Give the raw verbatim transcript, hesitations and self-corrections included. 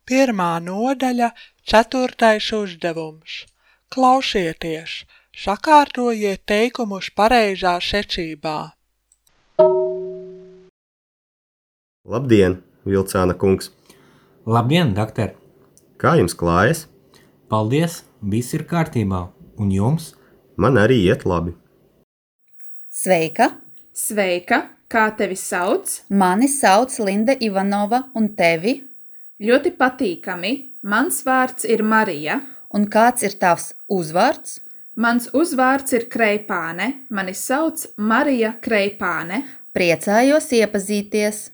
Pirmā nodaļa, ceturtais uzdevums. Klausieties, sakārtojiet teikumus pareizā secībā. Labdien, Vilcāna kungs! Labdien, doktor! Kā jums klājas? Paldies, viss ir kārtībā. Un jums? Man arī iet labi. Sveika! Sveika! Kā tevi sauc? Mani sauc Linda Ivanova un tevi? Ļoti patīkami. Mans vārds ir Marija. Un kāds ir tavs uzvārds? Mans uzvārds ir Kreipāne. Mani sauc Marija Kreipāne. Priecājos iepazīties!